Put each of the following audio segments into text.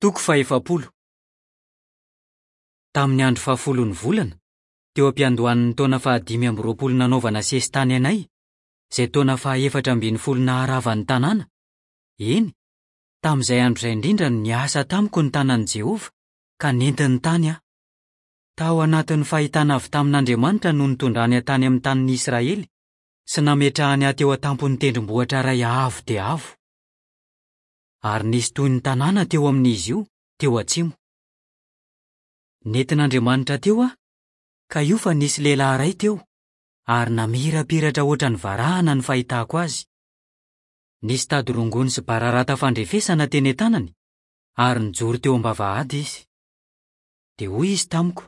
Toko fahefapolo. Tamin'ny andro fahafolon'ny volana, teo am-piandohan'ny taona fahadimy amby 20 nanaovana sesitany anay, izay taona fahaefatra ambin'ny folo naharava ny tanàna, eny, tamin'izay andro izay indrindra no niasa tamiko ny tanan'i Jehovah, ka nentiny tany aho. Tao anatin'ny fahitana avy tamin'Andriamanitra no nitondrany ahy tany amin'ny tanin'i Israely sy nametrahany ahy teo an-tampon'ny tendrombohitra iray avo dia avo. Ary nisy toy ny tanàna teo amin'izy io, teo atsimo. Nentin'Andriamanitra teo aho, ka io fa nisy lehilahy iray teo, ary namirapiratra hoatran'ny varahana ny fahitako azy. Nisy tady rongony sy bararata fandrefesana teny an-tanany, ary nijoro teo am-bavahady izy. Dia hoy izy tamiko,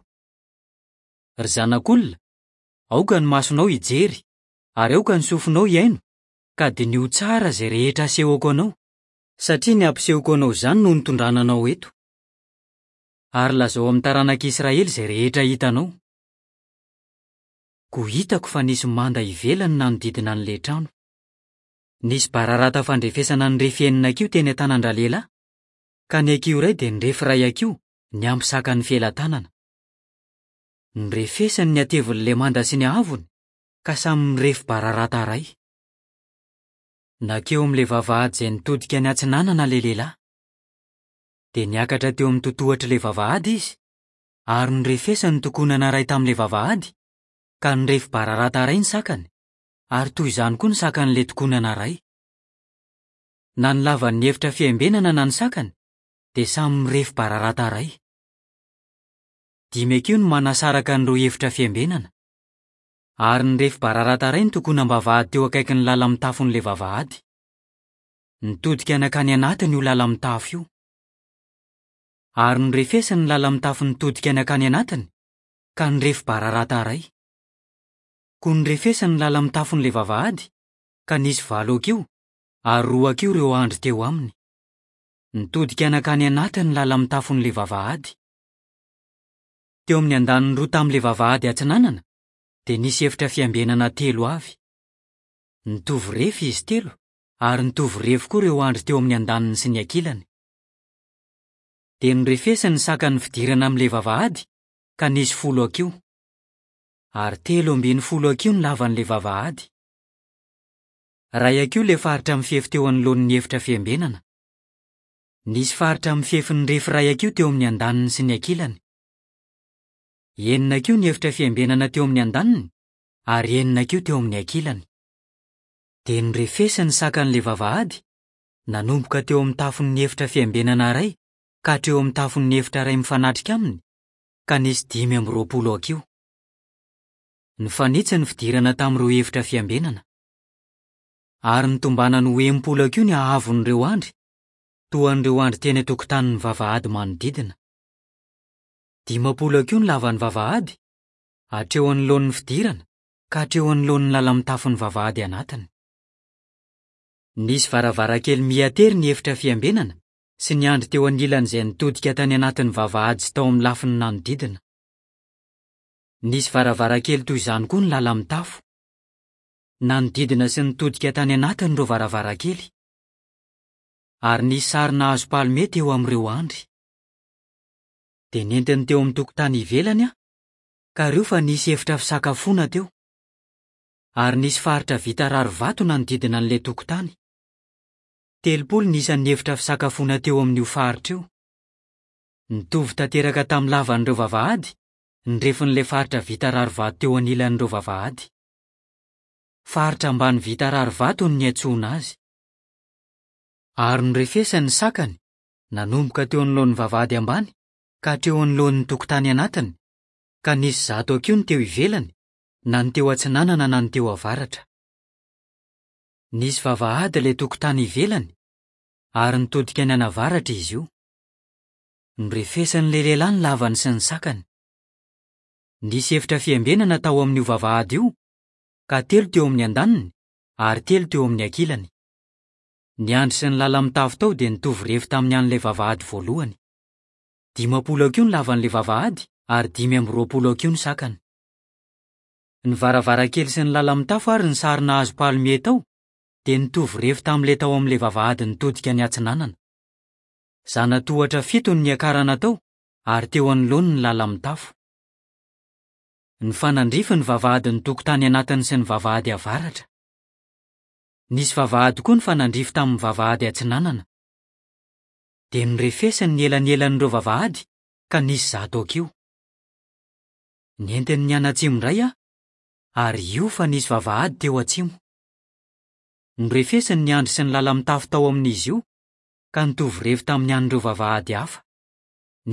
Ry zanak'olona, aoka ny masonao hijery, ary aoka ny sofinao hihaino, ka diniho tsara izay rehetra asehoko anao, satria ny hampisehoko anao izany no nitondrana anao eto. Ary lazao amin'ny taranak'Israely izay rehetra hitanao. Koa hitako fa nisy manda ivelany nanodidina an'ilay trano. Nisy bararata fandrefesana nirefy enina hakiho teny an-tanan-dralehilahy, ka ny hakiho iray dia nirefy iray hakiho niampy sakan'ny felatanana. Norefesiny ny hatevin'ilay manda sy ny haavony, ka samy mirefy bararata iray. Nankeo amin'ilay vavahady izay nitodika niatsinanana ilay lehilahy. Dia niakatra teo amin'ny totohatr'ilay vavahady izy, ary norefesiny ny tokonana iray tamin'ilay vavahady, ka nirefy bararata iray ny sakany, ary toy izany koa ny sakan'ilay tokonana iray. Na ny lavan'ny efitra fiambenana na ny sakany, dia samy mirefy bararata iray. Dimy hakiho no manasaraka an'ireo efitra fiambenana. Ary nirefy bararata iray ny tokonam-bavahady teo akaikin'ny lala-mitafon'ilay vavahady. Nitodika nankany anatiny io lala-mitafo io. Ary norefesiny ny lala-mitafo nitodika nankany anatiny, ka nirefy bararata iray. Koa norefesiny ny lala-mitafon'ilay vavahady, ka nisy valo hakiho, ary roa hakiho ireo andry teo aminy. Nitodika nankany anatiny ny lala-mitafon'ilay vavahady. Teo amin'ny andaniny roa tamin'ilay vavahady atsinanana dia nisy efitra fiambenana telo avy. Nitovy refy izy telo ary nitovy refy koa ireo andry teo amin'ny andaniny sy ny ankilany. Dia norefesiny ny sakan'ny fidirana amin'ilay vavahady ka nisy folo hakiho. Ary 13 hakiho ny lavan'ilay vavahady. Iray hakiho ilay faritra mifefy teo anoloan'ny efitra fiambenana. Nisy faritra mifefy nirefy iray hakiho teo amin'ny andaniny sy ny ankilany. Enina hakiho ny efitra fiambenana teo amin'ny andaniny ary enina hakiho teo amin'ny ankilany. Dia norefesiny ny sakan'ilay vavahady, nanomboka teo amin'ny tafon'ny efitra fiambenana iray ka hatreo amin'ny tafon'ny efitra iray mifanatrika aminy, ka nisy 25 hakiho. Nifanitsy ny fidirana tamin'ireo efitra fiambenana. Ary nitombanany ho 60 hakiho ny haavon'ireo andry, toa an'ireo andry teny an-tokotanin'ny vavahady manodidina. 50 hakiho ny lavan'ny vavahady, hatreo anoloan'ny fidirana ka hatreo anoloan'ny lala-mitafon'ny vavahady anatiny. Nisy varavarankely miha-tery ny efitra fiambenana sy ny andry teo anilany izay nitodika tany anatin'ny vavahady sy tao amin'ny lafiny nanodidina. Nisy varavarankely toy izany koa ny lala-mitafo. Nanodidina sy nitodika tany anatiny ireo varavarankely. Ary nisy sarina hazo palmie teo amin'ireo andry. Dia nentiny teo amin'ny tokotany ivelany aho, ka reo fa nisy efitra fisakafoana teo. Ary nisy faritra vita rarivato nanodidina an'ilay tokotany. 30 ny isan'ny efitra fisakafoana teo amin'io faritra io. Nitovy tanteraka tamin'ny lavan'ireo vavahady ny refin'ilay faritra vita rarivato teo anilan'ireo vavahady. Faritra ambany vita rarivato no niantsoana azy. Ary norefesiny ny sakany, nanomboka teo anoloan'ny vavahady ambany ka hatreo anoloan'ny tokotany anatiny, ka nisy 100 hakiho ny teo ivelany, na ny teo atsinanana na ny teo avaratra. Nisy vavahady ilay tokotany ivelany, ary nitodika nianavaratra izy io. Norefesin'ilay lehilahy ny lavany sy ny sakany. Nisy efitra fiambenana tao amin'io vavahady io, ka telo teo amin'ny andaniny ary telo teo amin'ny ankilany. Ny andry sy ny lala-mitafo tao dia nitovy refy tamin'ny an'ilay vavahady voalohany. 50 hakiho ny lavan'ilay vavahady ary 25 hakiho ny sakany. Ny varavarankely sy ny lala-mitafo ary ny sarina hazo palmie tao dia nitovy refy tamin'ilay tao amin'ilay vavahady nitodika niatsinanana. Zana-tohatra fito no niakarana tao ary teo anoloany ny lala-mitafo. Nifanandrify ny vavahadin'ny tokotany anatiny sy ny vavahady avaratra. Nisy vavahady koa nifanandrify tamin'ny vavahady atsinanana. Dia norefesiny ny elanelan'ireo vavahady ka nisy 100 hakiho. Nentiny nianatsimo indray aho, ary io fa nisy vavahady teo atsimo. Norefesiny ny andry sy ny lala-mitafo tao amin'izy io, ka nitovy refy tamin'ny an'ireo vavahady hafa.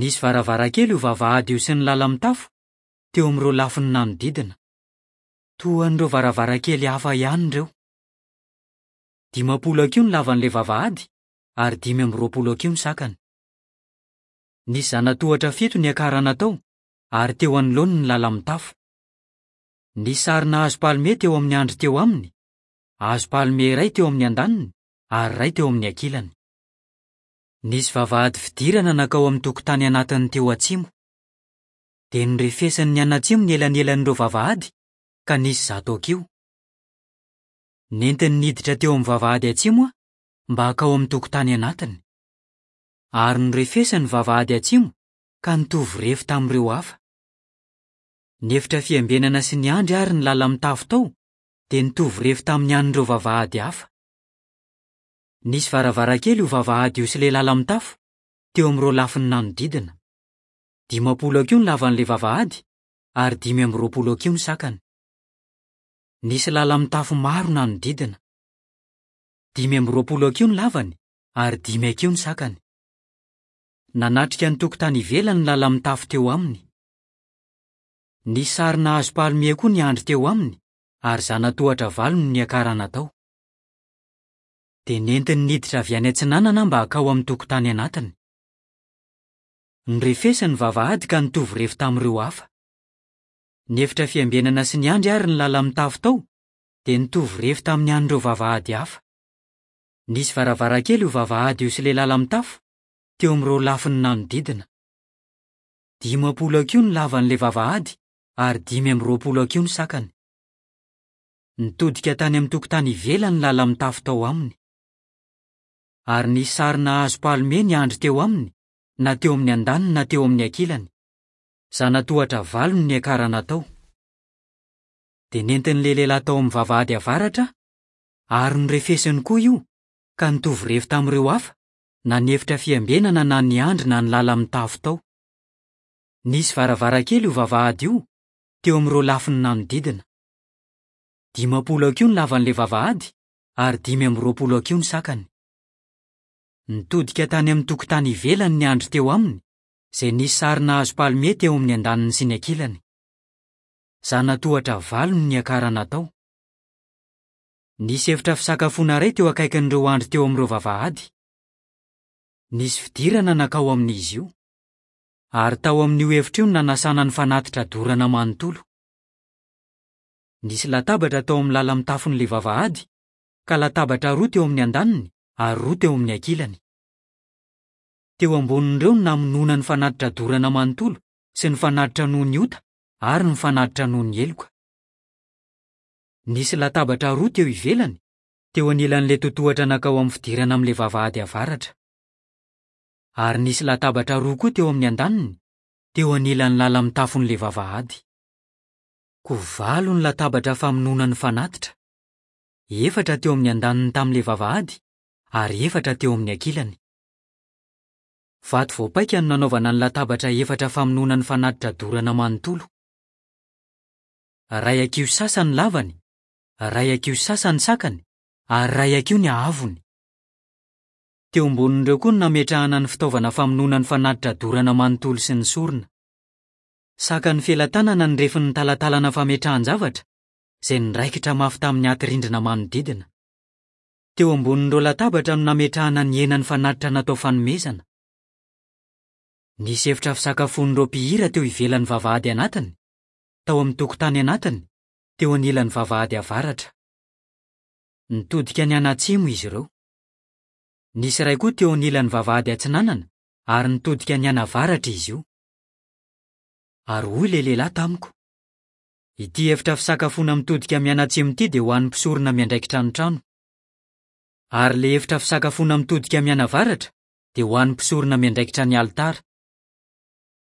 Nisy varavarankely io vavahady io sy ny lala-mitafo, teo amin'ireo lafiny nanodidina. Toa an'ireo varavarankely hafa ihany ireo. 50 hakiho ny lavan'ilay vavahady, ary 25 hakiho ny sakany. Nisy zana-tohatra fito niakarana tao, ary teo anoloany ny lala-mitafo. Nisy sarina hazo palmie teo amin'ny andry teo aminy, hazo palmie iray teo amin'ny andaniny ary iray teo amin'ny ankilany. Nisy vavahady fidirana nankao amin'ny tokotany anatiny teo atsimo. Dia norefesiny nianatsimo ny elanelan'ireo vavahady, ka nisy 100 hakiho. Nentiny niditra teo amin'ny vavahady atsimo aho mba hankao amin'ny tokotany anatiny. Ary norefesiny ny vavahady atsimo ka nitovy refy tamin'ireo hafa. Ny efitra fiambenana sy ny andry ary ny lala-mitafo tao dia nitovy refy tamin'ny an'ireo vavahady hafa. Nisy varavarankely io vavahady io sy ilay lala-mitafo, teo amin'ireo lafiny nanodidina. 50 hakiho ny lavan'ilay vavahady ary 25 hakiho ny sakany. Nisy lala-mitafo maro nanodidina. 25 hakiho ny lavany ary 5 hakiho ny sakany. Nanatrika ny tokotany ivelany ny lala-mitafo teo aminy. Nisy sarina hazo palmie koa ny andry teo aminy ary zana-tohatra valo no niakarana tao. Dia nentiny niditra avy any atsinanana mba hakao amin'ny tokotany anatiny. Norefesiny ny vavahady ka nitovy refy tamin'ireo hafa. Ny efitra fiambenana sy ny andry ary ny lala-mitafo tao dia nitovy refy tamin'ny an'ireo vavahady hafa. Nisy varavarankely io vavahady io sy ilay lala-mitafo teo amin'ireo lafiny nanodidina. 50 hakiho ny lavan'ilay vavahady ary 25 hakiho ny sakany. Nitodika tany amin'ny tokotany ivelany ny lala-mitafo tao aminy. Ary nisy sarina hazo palmie ny andry teo aminy, na teo amin'ny andaniny na teo amin'ny ankilany. Zana-tohatra valo no niakarana tao. Dia nentin'ilay lehilahy tao amin'ny vavahady avaratra ary norefesiny koa io, ka nitovy refy tamin'ireo hafa, na ny efitra fiambenana na ny andry na ny lala-mitafo tao. Nisy varavarankely io vavahady io, teo amin'ireo lafiny nanodidina. 50 hakiho ny lavan'ilay vavahady ary 25 hakiho ny sakany. Nitodika tany amin'ny tokotany ivelany ny andry teo aminy, izay nisy sarina hazo palmie teo amin'ny andaniny sy ny ankilany. Zana-tohatra valo no niakarana tao. Nisy efitra fisakafoana iray teo akaikin'ireo andry teo amin'ireo vavahady. Nisy fidirana nankao amin'izy io. Ary tao amin'io efitra io no nanasana ny fanatitra dorana manontolo. Nisy latabatra tao amin'ny lala-mitafon'ilay vavahady, ka latabatra roa teo amin'ny andaniny ary roa teo amin'ny ankilany. Teo ambonin'ireo no namonoana ny fanatitra dorana manontolo sy ny fanatitra noho ny ota ary ny fanatitra noho ny heloka. Nisy latabatra roa teo ivelany, teo anilan'ilay totohatra nankao amin'ny fidirana amin'ilay vavahady avaratra. Ary nisy latabatra roa koa teo amin'ny andaniny, teo anilan'ny lala-mitafon'ilay vavahady. Koa valo ny latabatra famonoana ny fanatitra, efatra teo amin'ny andaniny tamin'ilay vavahady ary efatra teo amin'ny ankilany. Vato voapaika no nanaovana ny latabatra efatra famonoana ny fanatitra dorana manontolo. Iray hakiho sasany ny lavany, iray hakiho sasany ny sakany ary iray hakiho ny haavony. Teo ambonin'ireo koa no nametrahana ny fitaovana famonoana ny fanatitra dorana manontolo sy ny sorona. Sakan'ny felatanana ny refin'ny talatalana fametrahan-javatra, izay niraikitra mafy tamin'ny aty rindrina manodidina. Teo ambonin'ireo latabatra no nametrahana ny henan'ny fanatitra natao fanomezana. Nisy efitra fisakafoan'ireo mpihira teo ivelan'ny vavahady anatiny, tao amin'ny tokotany anatiny, teo anilan'ny vavahady avaratra. Nitodika nianatsimo izy ireo. Nisy iray koa teo anilan'ny vavahady atsinanana, ary nitodika nianavaratra izy io. Ary hoy ilay lehilahy tamiko, Ity efitra fisakafoana mitodika mianatsimo ity dia ho an'ny mpisorona miandraikitra ny trano. Ary ilay efitra fisakafoana mitodika mianavaratra dia ho an'ny mpisorona miandraikitra ny alitara.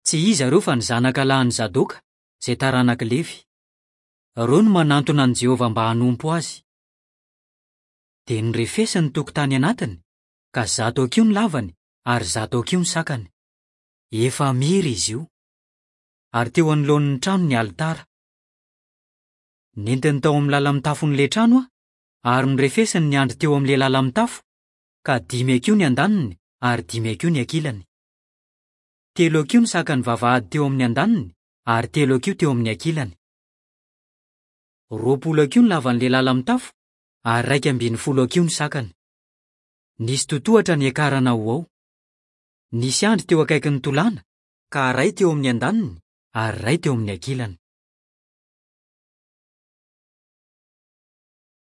Tsy iza ireo fa ny zanaka lahin'i Zadoka, izay taranak'i Levy. Ireo no manantona an'i Jehovah mba hanompo azy. Dia norefesiny ny tokotany anatiny, ka 100 hakiho ny lavany ary 100 hakiho ny sakany. Efamira izy io. Ary teo anoloan'ny trano ny alitara. Nentiny tao amin'ny lala-mitafon'ilay trano aho, ary norefesiny ny andry teo amin'ilay lala-mitafo, ka dimy hakiho ny andaniny ary dimy hakiho ny ankilany. Telo hakiho ny sakan'ny vavahady teo amin'ny andaniny ary telo hakiho teo amin'ny ankilany. 20 hakiho ny lavan'ilay lala-mitafo ary 11 hakiho ny sakany. Nisy totohatra niakarana ho ao. Nisy andry teo akaikin'ny tolàna, ka iray teo amin'ny andaniny ary iray teo amin'ny ankilany.